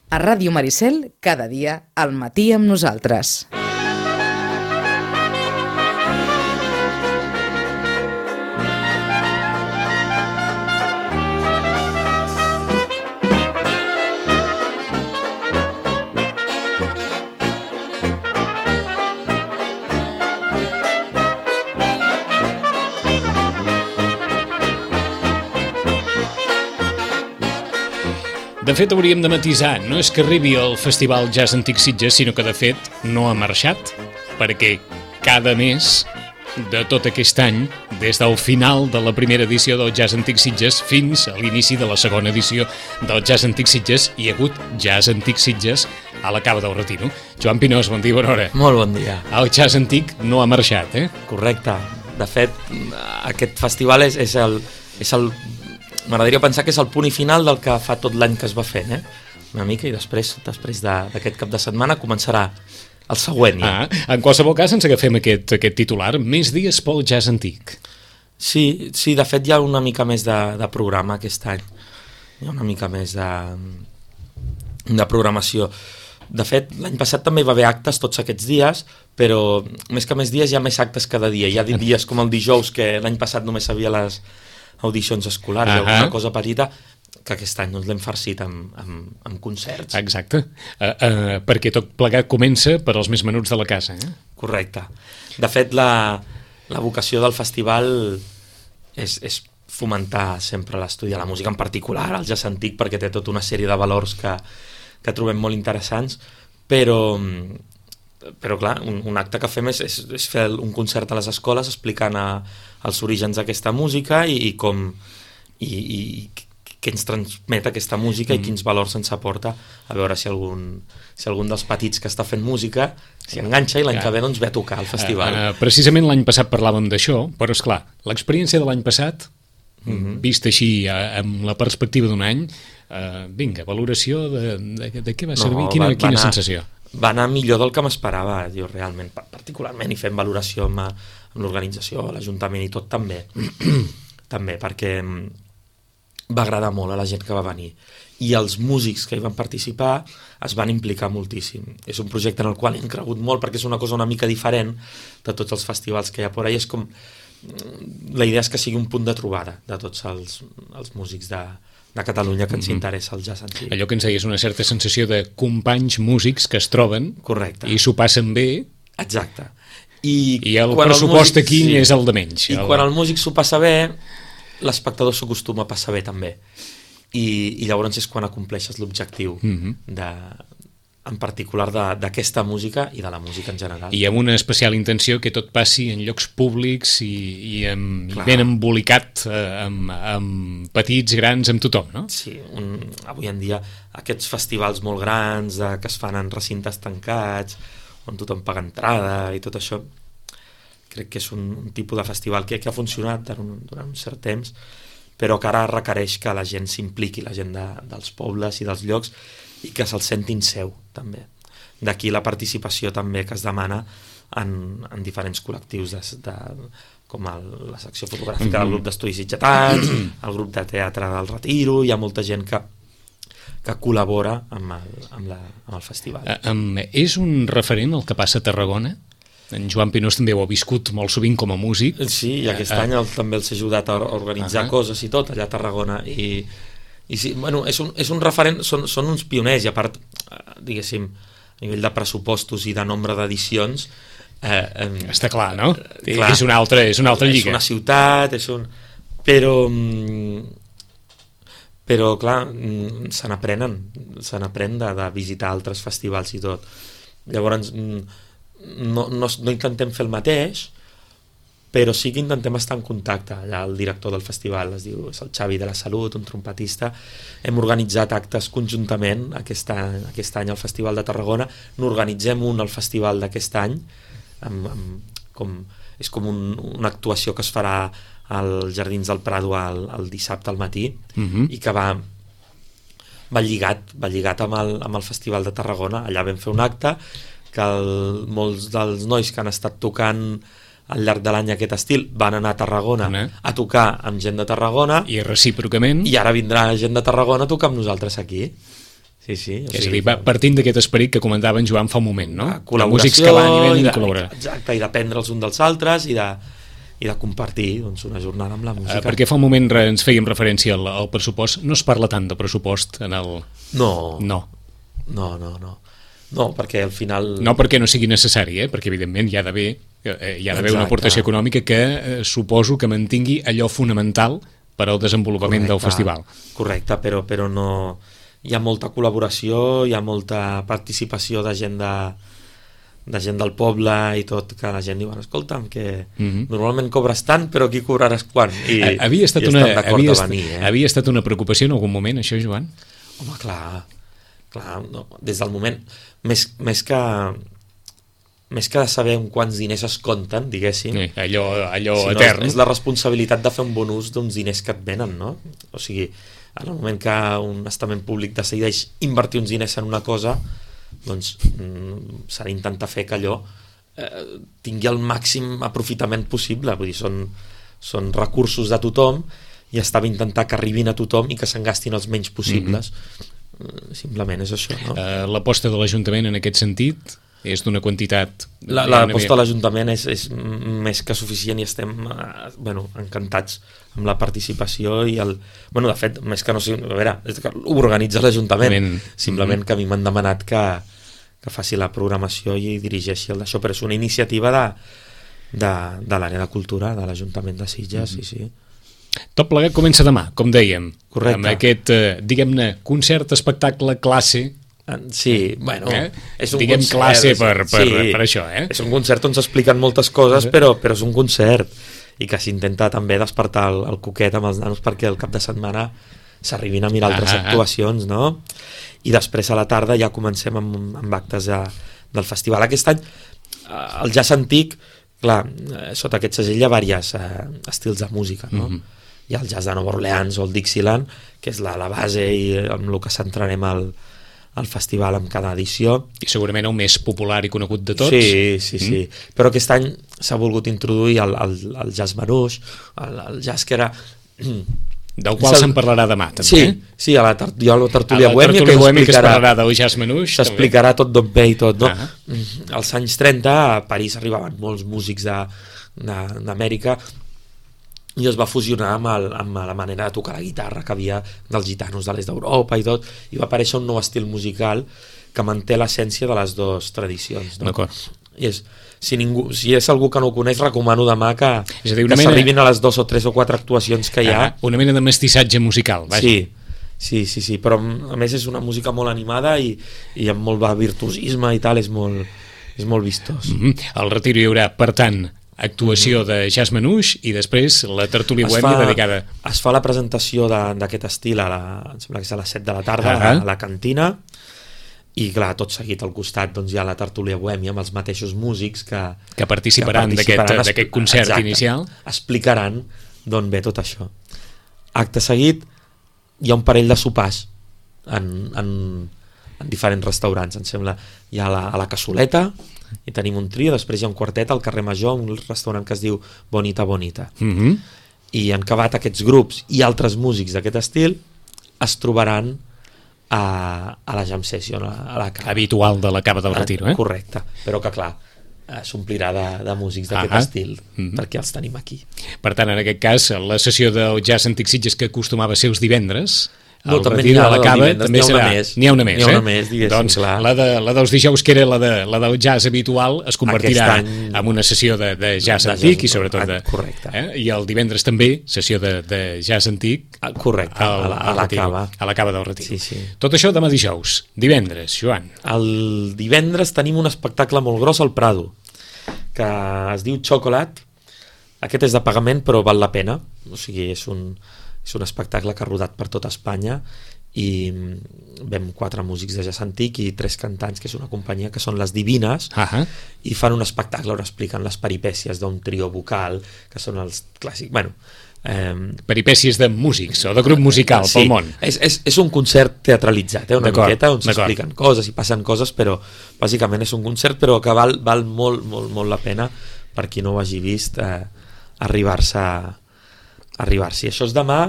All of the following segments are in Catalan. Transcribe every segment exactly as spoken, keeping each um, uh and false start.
A Ràdio Maricel, cada dia, al matí amb nosaltres. De fet, hauríem de matisar. No és que arribi al Festival Jazz Antic Sitges, sinó que, de fet, no ha marxat, perquè cada mes de tot aquest any, des del final de la primera edició del Jazz Antic Sitges fins a l'inici de la segona edició del Jazz Antic Sitges, hi ha hagut Jazz Antic Sitges a la Cava del Retiro. Joan Pinós, bon dia, bona hora. Molt bon dia. El Jazz Antic no ha marxat, eh? Correcte. De fet, aquest festival és, és el... És el m'agradaria pensar que és el punt i final del que fa tot l'any que es va fent, eh? Una mica, i després després d'aquest cap de setmana començarà el següent. Ja. Ah, en qualsevol cas ens agafem aquest, aquest titular, més dies pel Jazz Antic. Sí, sí, de fet hi ha una mica més de, de programa aquest any. Hi ha una mica més de, de programació. De fet, l'any passat també hi va haver actes tots aquests dies, però més que més dies hi ha més actes cada dia. Hi ha dies com el dijous, que l'any passat només havia les audicions escolars, uh-huh. alguna cosa petita, que aquest any doncs, l'hem farcit amb, amb, amb concerts. Exacte, uh, uh, perquè tot plegat comença per als més menuts de la casa. Eh? Correcte. De fet, la, la vocació del festival és, és fomentar sempre l'estudi de la música, en particular el jazz antic, perquè té tota una sèrie de valors que, que trobem molt interessants, però... però clar, un, un acte que fem és, és, és fer un concert a les escoles explicant a, els orígens d'aquesta música i, i com i, i què ens transmet aquesta música mm. i quins valors ens aporta, a veure si algun, si algun dels petits que està fent música s'hi enganxa i l'any que ve doncs ve a tocar al festival. Uh, uh, precisament l'any passat parlàvem d'això, però esclar, l'experiència de l'any passat, mm-hmm. vist així uh, amb la perspectiva d'un any, uh, vinga, valoració de, de, de què va servir, no, quina, va, quina va anar, sensació? Va anar millor del que m'esperava, jo realment, particularment, i fent valoració amb, amb l'organització, l'Ajuntament i tot també, també, perquè va agradar molt a la gent que va venir. I els músics que hi van participar es van implicar moltíssim. És un projecte en el qual hem cregut molt, perquè és una cosa una mica diferent de tots els festivals que hi ha por ahí. És com... La idea és que sigui un punt de trobada de tots els, els músics de... de Catalunya que ens interessa el jazz antic. Allò que ens deies, una certa sensació de companys músics que es troben. Correcte. I s'ho passen bé. Exacte. I, I el pressupost el músic, aquí sí, és el de menys. I el... quan el músic s'ho passa bé, l'espectador s'acostuma a passar bé també. I, i llavors és quan acompleixes l'objectiu mm-hmm. de... en particular d'aquesta música i de la música en general. I amb una especial intenció que tot passi en llocs públics i, i, amb, i ben embolicat eh, amb, amb petits, grans, amb tothom, no? Sí, un, avui en dia aquests festivals molt grans de, que es fan en recintes tancats, on tothom paga entrada i tot això, crec que és un, un tipus de festival que, que ha funcionat durant un, durant un cert temps, però que ara requereix que la gent s'impliqui, la gent de, dels pobles i dels llocs, i que se'l sentin seu, també. D'aquí la participació també que es demana en, en diferents col·lectius, de, de, com el, la secció fotogràfica mm-hmm. del grup d'estudis sitgetans, el grup de teatre del Retiro, hi ha molta gent que, que col·labora amb el, amb la, amb el festival. Uh, um, és un referent el que passa a Tarragona? En Joan Pinós també ho ha viscut molt sovint com a músic. Sí, i aquest uh, any el, també els ha ajudat a organitzar uh-huh. coses i tot allà a Tarragona, i I sí, bueno, és un, és un referent, són, són uns pioners, i a part, diguéssim, a nivell de pressupostos i de nombre d'edicions... Eh, eh, Està clar, no? Clar, és una altra, és una altra lliga. És una ciutat, és un... Però, però clar, se n'aprenen, se n'aprèn de, de visitar altres festivals i tot. Llavors, no, no, no intentem fer el mateix, però sí que intentem estar en contacte. Allà el director del festival es diu, és el Xavi de la Salut, un trompetista. Hem organitzat actes conjuntament aquest any, aquest any al Festival de Tarragona. N'organitzem un al festival d'aquest any, amb, amb, com, és com un, una actuació que es farà als Jardins del Prado el, el dissabte al matí, uh-huh. i que va, va lligat, va lligat amb, el, amb el Festival de Tarragona. Allà vam fer un acte que el, molts dels nois que han estat tocant al llarg de l'any aquest estil van anar a Tarragona Una. a tocar amb gent de Tarragona i recíprocament i ara vindrà gent de Tarragona a tocar amb nosaltres aquí. Sí, sí. O És sigui, a dir, va partint d'aquest esperit que comentava en Joan fa un moment, no? Col·laboració, músics que van i venen i i de, col·laborar. exacte, i d'aprendre els uns dels altres i de, i de compartir doncs, una jornada amb la música. Uh, perquè fa un moment re, ens fèiem referència al, al pressupost. No es parla tant de pressupost en el... No. No. No, no, no. No, perquè al final... No perquè no sigui necessari, eh? Perquè evidentment hi ha d'haver eh, hi ha d'haver una aportació econòmica que eh, suposo que mantingui allò fonamental per al desenvolupament correcte, del festival. Correcte, però, però no... Hi ha molta col·laboració, hi ha molta participació de gent de, de gent del poble i tot, que la gent diu, escolta'm, que mm-hmm. normalment cobres tant, però aquí cobraràs quan? I, havia estat i una, estan d'acord havia a venir. Eh? Havia estat una preocupació en algun moment, això, Joan? Home, clar, clar no, des del moment... Més, més que... més que de saber en quants diners es compten, diguéssim, sí, allò, allò si no, etern. És, és la responsabilitat de fer un bon ús d'uns diners que et venen, no? O sigui, en el moment que un estament públic decideix invertir uns diners en una cosa, doncs mm, s'ha d'intentar fer que allò eh, tingui el màxim aprofitament possible, vull dir, són, són recursos de tothom i està bé intentar que arribin a tothom i que se'n gastin els menys possibles. Mm-hmm. Simplement és això, no? Uh, l'aposta de l'Ajuntament en aquest sentit és d'una quantitat... La, l'aposta de l'Ajuntament és, és més que suficient i estem eh, bueno, encantats amb la participació i el... Bueno, de fet, més que no sigui... A veure, ho organitza l'Ajuntament. Men. Simplement mm-hmm. que a mi m'han demanat que, que faci la programació i dirigeixi el d'això, però és una iniciativa de, de, de l'àrea de cultura de l'Ajuntament de Sitges, mm-hmm. sí, sí. Tot plegat comença demà, com dèiem. Correcte. Amb aquest, eh, diguem-ne, concert, espectacle, classe... Sí, bueno, eh? és un diguem concert, classe per, per, sí, per això, eh? És un concert on s'expliquen moltes coses, però, però és un concert i que s'intenta també despertar el, el coquet amb els nanos perquè el cap de setmana s'arribin a mirar altres ah, actuacions, no? I després a la tarda ja comencem amb, amb actes de, del festival. Aquest any el jazz antic, clar, sota aquest segell hi ha diversos eh, estils de música, no? Mm-hmm. Hi ha el jazz de Nova Orleans o el Dixieland, que és la, la base i amb el que centrarem al al festival amb cada edició. I segurament el més popular i conegut de tots. Sí, sí, sí. Mm. Però aquest any s'ha volgut introduir el, el, el jazz manouche, el, el jazz que era... Del qual se'n parlarà demà, també. Sí, sí, a la, tar a la tertúlia bohèmia, que s'explicarà parlarà del jazz manouche. S'explicarà tot d'on ve i tot, no? Ah. Als anys trenta a París arribaven molts músics d'Amèrica i es va fusionar amb, el, amb la manera de tocar la guitarra que havia dels gitanos de l'est d'Europa i tot, i va aparèixer un nou estil musical que manté l'essència de les dues tradicions, no? D'acord. I és, si, ningú, si és algú que no ho coneix, recomano demà que, és a dir, que mena... s'arribin a les dos o tres o quatre actuacions que hi ha. Ah, una mena de mestissatge musical, vaja. Sí, sí, sí, sí, però a més és una música molt animada i, i amb molt virtuosisme i tal, és molt, és molt vistós. Mm-hmm. Al Retiro hi haurà, per tant, actuació de jazz manouche i després la tertúlia bohèmia dedicada... Es fa la presentació d'aquest estil a la, em sembla que és a les set de la tarda uh -huh. a la cantina i clar, tot seguit al costat doncs, hi ha la tertúlia bohèmia amb els mateixos músics que, que participaran d'aquest concert exacte, inicial. Explicaran d'on ve tot això. Acte seguit hi ha un parell de sopars en, en, en diferents restaurants, em sembla. Hi ha la, a la Cassoleta i tenim un trio, després hi ha un quartet al carrer Major, un restaurant que es diu Bonita Bonita. Mm-hmm. I en acabat aquests grups i altres músics d'aquest estil es trobaran a, a la jam session, a la cava. Habitual de la Cava del Retiro, eh? Correcte, però que clar, s'omplirà de, de músics d'aquest ah estil, mm-hmm. perquè els tenim aquí. Per tant, en aquest cas, la sessió del Jazz Antic Sitges, que acostumava a ser els divendres, no, també n'hi ha, la cava, també serà, n'hi ha una més, n'hi ha una eh? més, doncs clar. La, de, la dels dijous, que era la, de, la del jazz habitual, es convertirà any... en una sessió de, de jazz de antic jazz, i sobretot de... Correcte. Eh? I el divendres també, sessió de, de jazz antic. Correcte, al, a la, a la cava. A la Cava del Retiro. Sí, sí. Tot això demà dijous. Divendres, Joan. El divendres tenim un espectacle molt gros al Prado, que es diu Chocolate. Aquest és de pagament, però val la pena. O sigui, és un, és un espectacle que ha rodat per tota Espanya i vam quatre músics de jazz antic i tres cantants, que és una companyia que són les Divines, uh-huh. i fan un espectacle on expliquen les peripècies d'un trio vocal, que són els clàssics, bueno... Eh, peripècies de músics o de grup musical sí, pel món. És, és, és un concert teatralitzat, eh, una miqueta, on s'expliquen coses i passen coses, però bàsicament és un concert, però que val, val molt, molt, molt la pena per qui no ho hagi vist eh, arribar-se arribar-s'hi. Això és demà.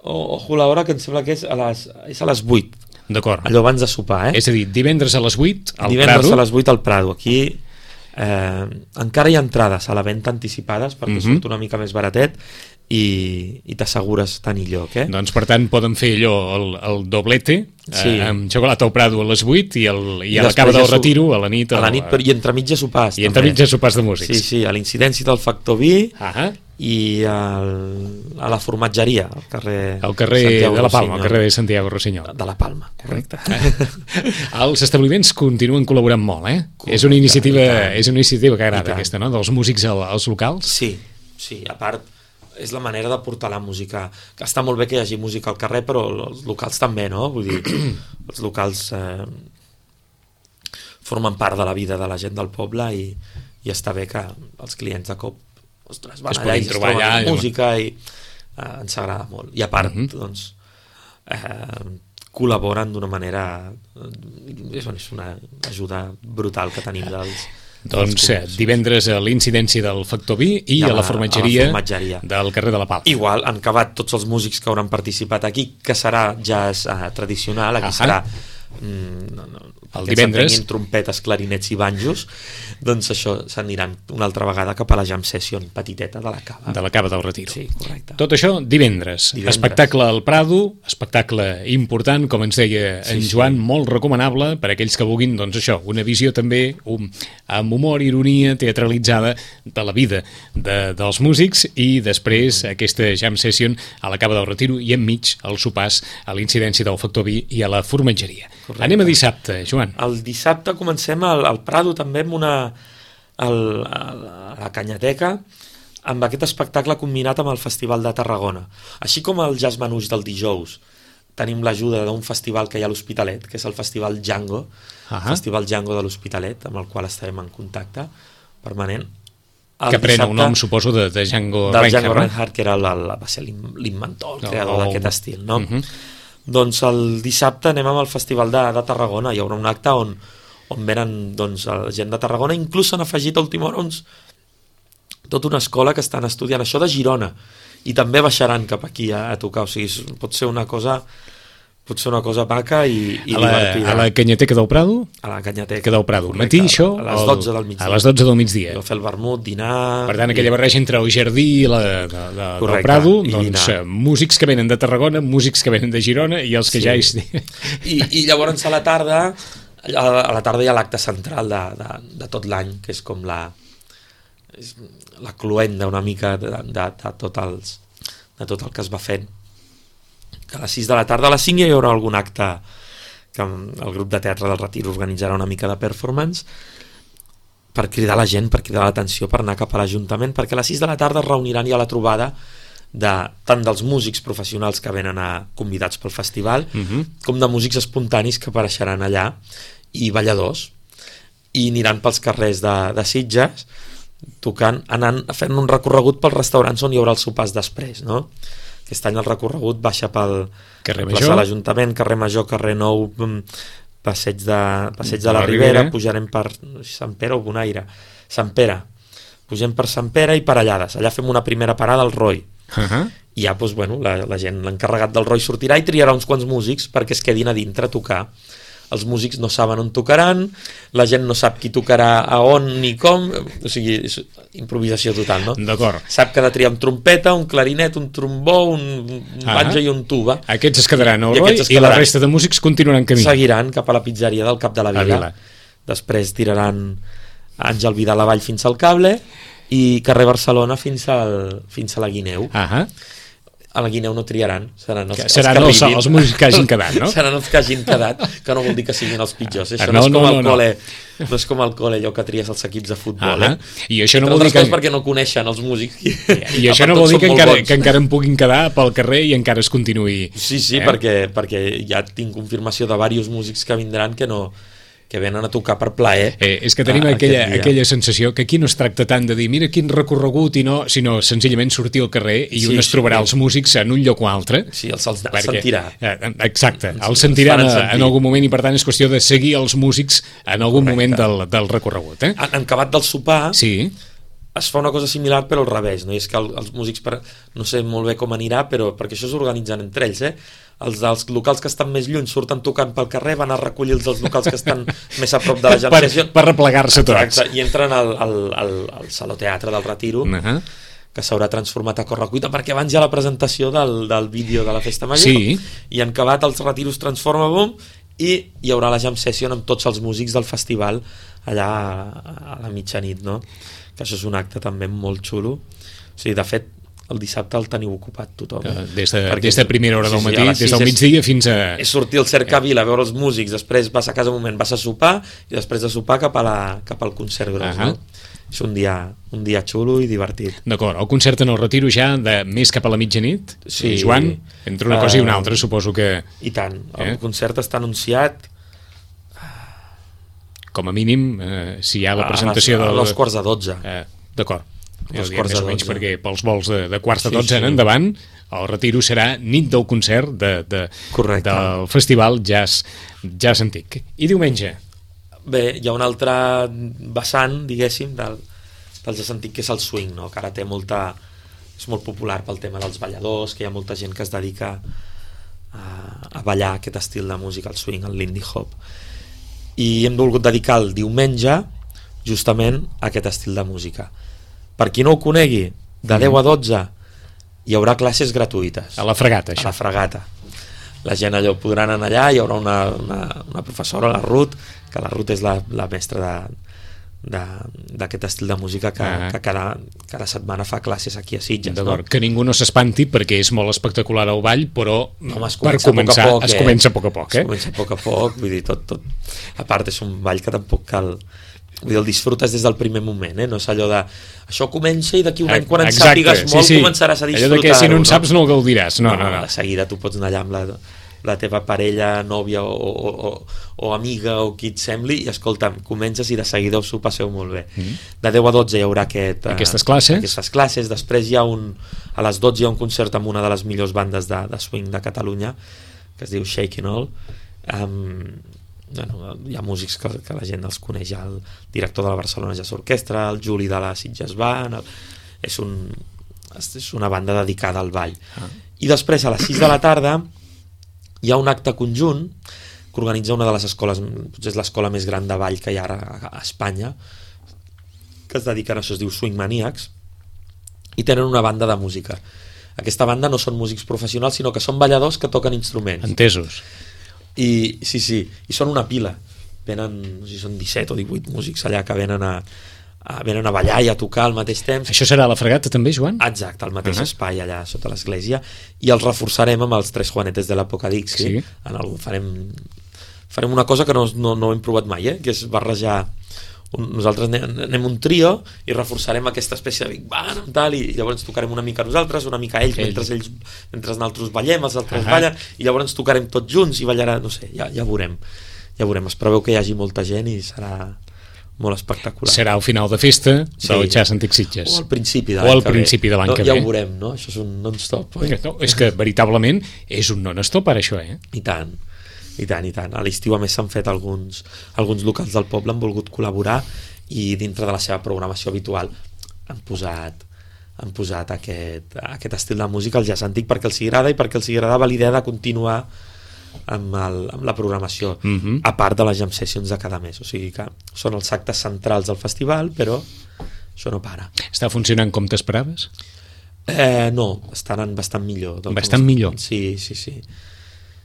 Ojo l'hora, que em sembla que és a les, és a les vuit. D'acord. Allò abans de sopar, eh? És a dir, divendres a les vuit al divendres Prado. a les vuit al Prado. Aquí eh, encara hi ha entrades a la venda anticipades perquè Mhm. surt una mica més baratet i, i t'assegures tenir lloc, eh? Doncs, per tant, poden fer allò, el, el doblete, Sí. eh, amb xocolata al Prado a les vuit i, el, i I a la després cava ja del su- Retiro a la nit. A la el- nit, però, i entremig ja sopars. I entremig també. ja sopars de músics. Sí, sí, a l'Incidència del Factor Vi Ah, i al, a la formatgeria, al carrer... al carrer Santiago de la Palma, al Rossinyol. carrer de Santiago Rossinyol. De la Palma, correcte. Els establiments continuen col·laborant molt, eh? Correcte, és una iniciativa, i tant. és una iniciativa que I agrada, tant. aquesta, no?, dels músics al, als locals. Sí, sí, a part és la manera de portar la música, que està molt bé que hi hagi música al carrer, però els locals també, no? Vull dir, els locals eh, formen part de la vida de la gent del poble i, i està bé que els clients de cop, ostres, van Es allà puguin i es trobar troben allà amb i- música i eh, ens agrada molt. I a part, Mhm. doncs, eh, col·laboren d'una manera... Eh, és, és una ajuda brutal que tenim dels... Doncs dels eh, comerços. divendres a l'incidència del Factor Vi i, I a, a la la- formatgeria, a la formatgeria. del carrer de la Palma. Igual, han acabat tots els músics que hauran participat aquí, que serà jazz eh, tradicional, aquí Ahà. serà mm, no, no, El que divendres. s'entenguin trompetes, clarinets i banjos, doncs això s'aniran una altra vegada cap a la jam session petiteta de la cava. De la Cava del Retiro. Sí, correcte. Tot això divendres. Divendres. Espectacle al Prado, espectacle important, com ens deia Sí, en sí. Joan, molt recomanable per a aquells que vulguin, doncs això, una visió també um, amb humor, ironia, teatralitzada de la vida de, dels músics i després aquesta jam session a la Cava del Retiro i enmig els sopars a l'incidència del Factor Vi i a la formatgeria. Correcte. Anem a dissabte, Joan. El dissabte comencem al, al Prado també amb una... El, a la Canyateca amb aquest espectacle combinat amb el Festival de Tarragona. Així com el Jazz Manouche del dijous tenim l'ajuda d'un festival que hi ha a l'Hospitalet, que és el Festival Django, Ah. Festival Django de l'Hospitalet, amb el qual estarem en contacte permanent. El Que pren el dissabte- nom, suposo, de, de Django del Reinhardt. Django no? Reinhardt, que era la, la, va ser l'in- l'inventor, el No, creador o- d'aquest estil, no? Mhm. Doncs el dissabte anem amb el Festival de, de Tarragona, hi haurà un acte on, on venen doncs, la gent de Tarragona, inclús s'han afegit a última hora uns, tota una escola que estan estudiant això de Girona, i també baixaran cap aquí a, a tocar, o sigui, pot ser una cosa pot ser una cosa maca i, i A la, divertida. a la Canyateca del Prado? A la Canyateca. Que del Prado. Correcte, Matí, això? A les o- dotze del migdia. A les dotze del migdia. Jo fer el vermut, dinar... Per tant, i- aquella barreja entre el jardí i la de, de, de, del Correcte, Prado, i doncs dinar. eh, músics que venen de Tarragona, músics que venen de Girona i els que Sí. ja... És... I, i llavors a la tarda a, a la tarda hi ha l'acte central de, de, de tot l'any, que és com la és la cluenda una mica de, de, de, tot els, de tot el que es va fent, que a les sis de la tarda, a les cinc ja hi haurà algun acte que el grup de teatre del Retir organitzarà una mica de performance per cridar la gent, per cridar l'atenció, per anar cap a l'Ajuntament, perquè a les sis de la tarda es reuniran ja la trobada de, tant dels músics professionals que venen a convidats pel festival, Mhm. com de músics espontanis que apareixeran allà, i balladors, i aniran pels carrers de, de Sitges tocant, anant, fent un recorregut pels restaurants on hi haurà els sopars després, no? Aquest any el recorregut baixa pel Carrer plaça Major. de l'Ajuntament, carrer Major, carrer Nou, mm, passeig de, passeig de la, La Ribera, Ribera. pujarem per no sé, Sant Pere o Bonaire, Sant Pere, pugem per Sant Pere i per Allades, allà fem una primera parada al Roi, Uh -huh. i ja doncs, bueno, la, la gent, l'encarregat del Roi sortirà i triarà uns quants músics perquè es quedin a dintre a tocar. Els músics no saben on tocaran, la gent no sap qui tocarà a on ni com, o sigui, és improvisació total, no? D'acord. Sap que ha de triar un trompeta, un clarinet, un trombó, un, un Ah. banjo i un tuba. Aquests es quedaran al I Roi aquests es i la quedaran. resta de músics continuaran camí. Seguiran cap a la pizzeria del Cap de la A Vila. Vila. Després tiraran Àngel Vidal avall fins al Cable i carrer Barcelona fins, al, fins a la Guineu. Ah, A la Guineu no triaran, seran els, Que seran que els- arribin. els músics que hagin quedat, no? Seran els que hagin quedat, que no vol dir que siguin els pitjors. Això Ah, no, no, és com no, al no, no. col·le, no és com al col·le allò que tries els equips de futbol, Ah, eh? i això no Entre vol dir altres que... coses perquè no coneixen els músics. I això no vol dir que encara, que encara en puguin quedar pel carrer i encara es continuï... Sí, sí, eh? perquè, perquè ja tinc confirmació de diversos músics que vindran que no que venen a tocar per plaer. Eh, és que tenim a- aquella, aquest dia. aquella sensació que aquí no es tracta tant de dir mira quin recorregut i no, sinó senzillament sortir al carrer i Sí, un es sí, trobarà sí. els músics en un lloc o altre. Sí, els, els, els perquè- sentirà. eh, Exacte, Ens- els ens sentiran faran en, sentir. en algun moment i per tant és qüestió de seguir els músics en algun Correcte. moment del, del recorregut. Eh? En, en acabat del sopar, Sí, es fa una cosa similar però al revés, no? I és que el, els músics, per, no sé molt bé com anirà, però perquè això s'organitzen entre ells, eh? Els dels locals que estan més lluny surten tocant pel carrer, van a recollir els dels locals que estan més a prop de la jam session. Per, per replegar-se tots. I entren al, al, al, al Saló Teatre del Retiro, uh-huh. que s'haurà transformat a correcuita, perquè abans hi ha la presentació del, del vídeo de la Festa Major, sí. i en acabat els Retiros transforma, bum, i hi haurà la jam session amb tots els músics del festival allà a, a la mitjanit, no? Que això és un acte també molt xulo. O sigui, de fet, el dissabte el teniu ocupat tothom. Eh? Des, de, des de primera hora del matí, sí, sí, des del migdia fins a... És sortir al Cercavila a veure els músics, després vas a casa un moment, vas a sopar, i després de sopar cap, a la, cap al concert gros, uh-huh. no? És un dia, un dia xulo i divertit. D'acord, el concert en el Retiro ja de més cap a la mitjanit, sí, Joan, entre una cosa uh, i una altra suposo que... I tant, el eh? concert està anunciat... Com a mínim, eh, si hi ha la presentació... A, a, a dos quarts de dotze. Eh, D'acord. Dos quarts de dotze. Perquè pels vols de, de quarts de dotze sí, sí. en endavant, el Retiro serà nit del concert de, de, del festival Jazz, Jazz Antic. I diumenge? Bé, hi ha un altre vessant, diguéssim, del, del Jazz Antic, que és el swing, no? Que ara té molta... és molt popular pel tema dels balladors, que hi ha molta gent que es dedica a, a ballar aquest estil de música, el swing, el lindy hop. I hem volgut dedicar el diumenge justament a aquest estil de música. Per qui no ho conegui, de deu a dotze hi haurà classes gratuïtes. A la Fregata, això. A la Fregata. La gent allò podran anar allà, hi haurà una, una, una professora, la Ruth, que la Ruth és la, la mestra de, d'aquest estil de música que, ah. que cada, cada setmana fa classes aquí a Sitges. D'acord, no? Que ningú no s'espanti perquè és molt espectacular el ball, però no, per començar a poc, es comença a poc a poc. Eh? Es comença a poc a poc, vull dir, tot, tot. A part és un ball que tampoc cal... Vull dir, el disfrutes des del primer moment, eh? No és allò de això comença i d'aquí un any quan en sàpigues molt sí, sí. començaràs a disfrutar-ho. Allò de que si no en saps no el gaudiràs. No, no, no, no. De seguida tu pots anar allà amb la, la teva parella, nòvia o, o, o, o amiga o qui et sembli i escolta'm, comences i de seguida us ho passeu molt bé. Mm-hmm. De deu a dotze hi haurà aquest, aquestes classes. Aquestes classes. Després hi ha un, a les dotze hi ha un concert amb una de les millors bandes de, de swing de Catalunya que es diu Shakin' All. Um, Bueno, hi ha músics que, que la gent els coneix, el director de la Barcelona Jazz Orquestra, el Juli de la Sitges Band, el, és, un, és una banda dedicada al ball. Ah. I després a les sis de la tarda hi ha un acte conjunt que organitza una de les escoles, potser és l'escola més gran de ball que hi ha ara a, a Espanya, que es dediquen a això, es diu Swing Maniacs, i tenen una banda de música. Aquesta banda no són músics professionals, sinó que són balladors que toquen instruments. Entesos. I sí, sí, i són una pila, venen, no sé si són disset o divuit músics allà que venen a, a, venen a ballar i a tocar al mateix temps. Això serà a la Fregata també, Joan? Exacte, al mateix uh-huh. espai allà sota l'església, i els reforçarem amb els tres Juanetes de l'Apocadixi. Sí. En el, farem, farem una cosa que no, no, no hem provat mai, eh? Que és barrejar un, nosaltres anem, anem un trio i reforçarem aquesta espècie de Big Band tal, i llavors tocarem una mica nosaltres, una mica ells, ells. mentre ells mentre nosaltres ballem, els altres uh-huh. ballen, i llavors tocarem tots junts i ballarà, no sé, ja, ja veurem ja veurem, es preveu que hi hagi molta gent i serà molt espectacular. Serà al final de festa sí. del Jazz Antic Sitges. O al principi de l'any, o al principi de l'any no, que ja ve. Ja ho veurem, no? Això és un non-stop. No, és que veritablement és un non-stop ara això, eh? I tant, i tant, i tant. A l'estiu a més s'han fet alguns, alguns locals del poble, han volgut col·laborar i dintre de la seva programació habitual han posat, han posat aquest, aquest estil de música al jazz antic perquè els agrada i perquè els agradava l'idea de continuar amb, el, amb la programació mm-hmm. a part de les jam sessions de cada mes, o sigui que són els actes centrals del festival, però això no para. Està funcionant com t'esperaves? Eh, no, està anant bastant millor. Bastant com... millor? Sí, sí, sí.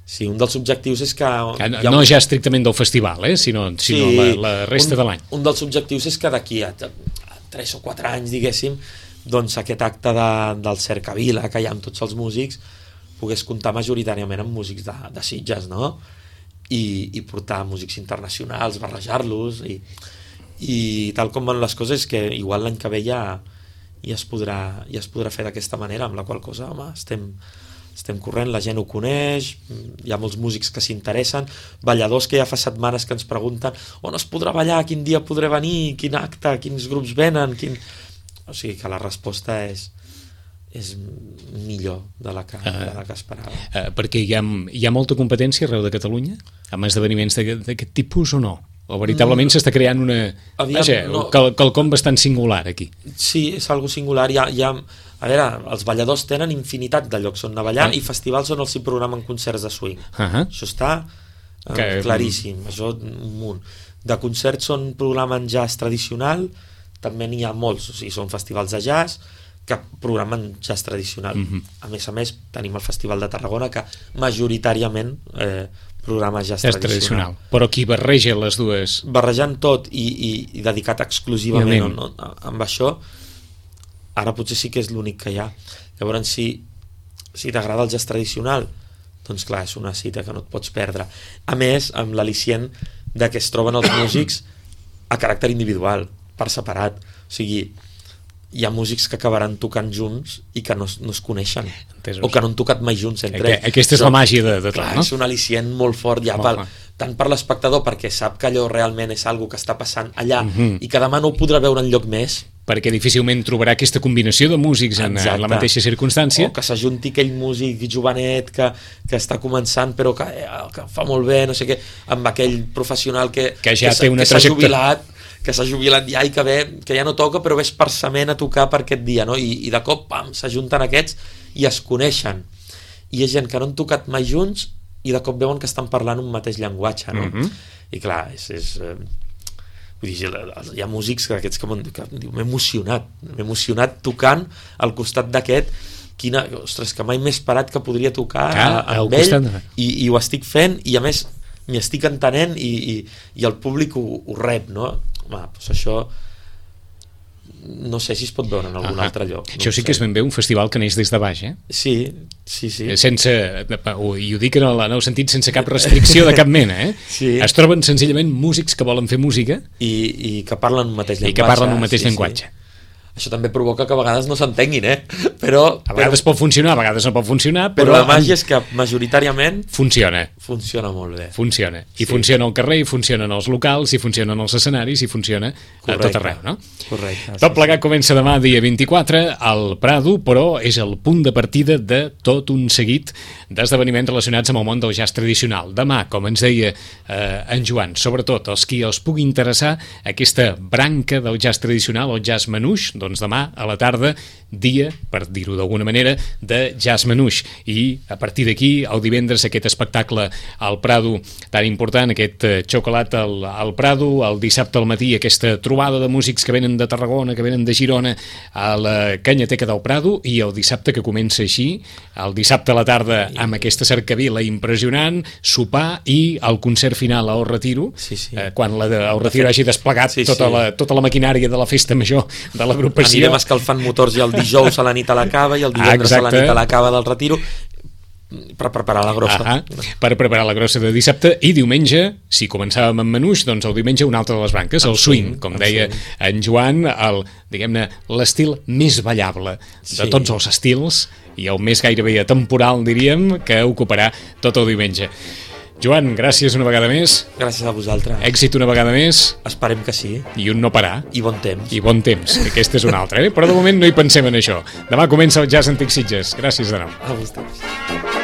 Sí, un dels objectius és que... No, no un... ja estrictament del festival, eh? sinó, sinó sí, la, la resta un, de l'any. Un dels objectius és que d'aquí a, a tres o quatre anys, diguéssim, doncs aquest acte de, del Cercavila, que hi ha amb tots els músics, pogués comptar majoritàriament amb músics de, de Sitges, no? I, i portar músics internacionals, barrejar-los, i, i tal com van les coses, que igual l'any que ve ja, ja, es podrà, ja es podrà fer d'aquesta manera, amb la qual cosa, home, estem... estem corrent, la gent ho coneix, hi ha molts músics que s'interessen, balladors que ja fa setmanes que ens pregunten on es podrà ballar, quin dia podré venir, quin acte, quins grups venen, quin... o sigui que la resposta és, és millor de la que, uh, de la que esperava. Uh, perquè hi ha, hi ha molta competència arreu de Catalunya amb esdeveniments d'aquest tipus o no? O veritablement mm. s'està creant una... Aviam, Vaja, no. qual, quelcom bastant singular aquí. Sí, és algo singular. Hi ha, hi ha, a veure, els balladors tenen infinitat de llocs on anar a ballar ah. i festivals on els hi programen concerts de swing. Uh -huh. Això està eh, que... claríssim. Això un munt. De concerts on programen jazz tradicional també n'hi ha molts. O sigui, són festivals de jazz que programen jazz tradicional. Uh -huh. A més a més, tenim el Festival de Tarragona que majoritàriament... Eh, programa jazz, jazz tradicional. tradicional. Però qui barreja les dues... Barrejant tot i, i, i dedicat exclusivament on, on, amb això, ara potser sí que és l'únic que hi ha. Llavors, si, si t'agrada el jazz tradicional, doncs clar, és una cita que no et pots perdre. A més, amb l'al·licient de que es troben els músics a caràcter individual, per separat. O sigui, hi ha músics que acabaran tocant junts i que no, no es coneixen. Entesos. O que no han tocat mai junts entre ells. Aquesta és la màgia de, de tot, clar, no? És un al·licient molt fort ja pel, tant per l'espectador, perquè sap que allò realment és algo que està passant allà uh -huh. i que demà no ho podrà veure enlloc més. Perquè difícilment trobarà aquesta combinació de músics en, en la mateixa circumstància. O que s'ajunti aquell músic jovenet que, que està començant però que, que fa molt bé, no sé què, amb aquell professional que, que ja que té una que s'ha jubilat que s'ha jubilat ja i que, ve, que ja no toca però ve esparçament a tocar per aquest dia, no? I, i de cop, pam, s'ajunten aquests i es coneixen. I hi ha gent que no han tocat mai junts i de cop veuen que estan parlant un mateix llenguatge, no? Uh-huh. I clar, és... és eh, vull dir, hi ha músics que aquests que m'han dit, m'he emocionat, m'he emocionat tocant al costat d'aquest, quina, ostres, que mai m'he esperat que podria tocar ah, a, amb ell i, i ho estic fent i a més m'hi estic entenent i, i, i el públic ho, ho rep, no? Home, doncs això no sé si es pot veure en algun ah, altre lloc. Això no sí sé. Que és ben bé un festival que neix des de baix, eh? Sí, sí, sí. Sense, i ho dic en el, en el sentit sense cap restricció de cap mena, eh? Sí. Es troben senzillament músics que volen fer música i, i que parlen un mateix llenguatge. I que parlen un mateix sí, llenguatge. Sí. Això també provoca que a vegades no s'entenguin, eh? Però, a vegades però, pot funcionar, a vegades no pot funcionar, però, però la màgia és que majoritàriament funciona. Funciona molt bé. Funciona. I sí. Funciona al carrer, i funcionen els locals, i funcionen els escenaris, i funciona correcte, a tot arreu, no? Correcte. Tot plegat comença demà, dia vint-i-quatre, al Prado, però és el punt de partida de tot un seguit d'esdeveniments relacionats amb el món del jazz tradicional. Demà, com ens deia eh, en Joan, sobretot els qui els pugui interessar aquesta branca del jazz tradicional, el jazz manouche, doncs demà a la tarda, dia, per dir-ho d'alguna manera, de jazz manouche. I a partir d'aquí, el divendres, aquest espectacle al Prado tan important, aquest eh, xocolat al, al Prado, el dissabte al matí, aquesta trobada de músics que venen de Tarragona, que venen de Girona, a la Canyateca del Prado, i el dissabte que comença així, el dissabte a la tarda amb aquesta cercavila impressionant, sopar i el concert final al Retiro, sí, sí. Eh, quan la de, el Retiro hagi desplegat sí, tota, sí. La, tota la maquinària de la festa major de l'agrupació. Anirem escalfant motors ja el dijous a la nit a la cava i el divendres ah, a la nit a la cava del Retiro per preparar la grossa. Ah, per preparar la grossa de dissabte, i diumenge, si començàvem amb manouche, doncs el diumenge una altra de les branques, el swing, com deia en Joan, el, diguem-ne, l'estil més ballable de sí. tots els estils i el més gairebé atemporal, diríem, que ocuparà tot el diumenge. Joan, gràcies una vegada més. Gràcies a vosaltres. Èxit una vegada més. Esperem que sí. I un no parar. I bon temps. I bon temps. Aquesta és una altra, eh? Però de moment no hi pensem en això. Demà comença el Jazz Antic Sitges. Gràcies de nou. A vosaltres.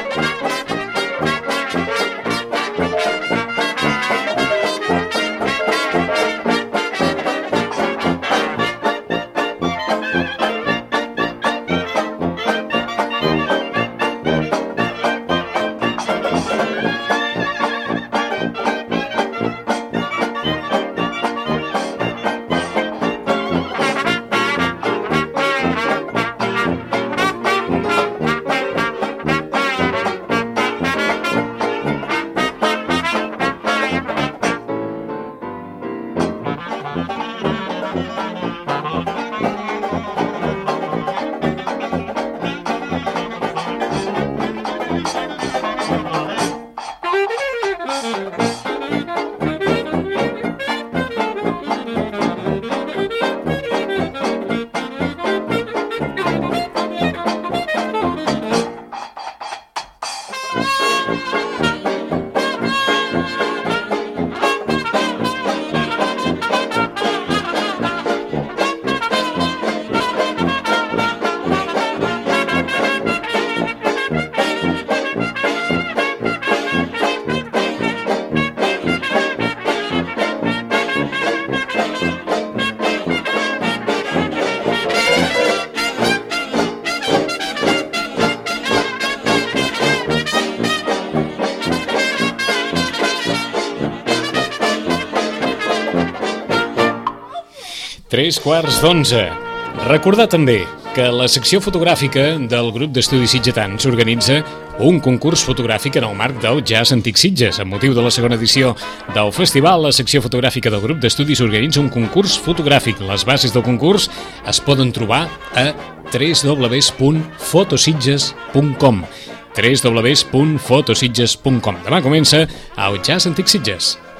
Tres quarts d'onze. Recordar també que a la secció fotogràfica del grup d'estudis sitgetans s'organitza un concurs fotogràfic en el marc del Jazz Antic Sitges. Amb motiu de la segona edició del festival, la secció fotogràfica del grup d'estudis organitza un concurs fotogràfic. Les bases del concurs es poden trobar a w w w punt fotositges punt com w w w punt fotositges punt com. Demà comença el Jazz Antic Sitges.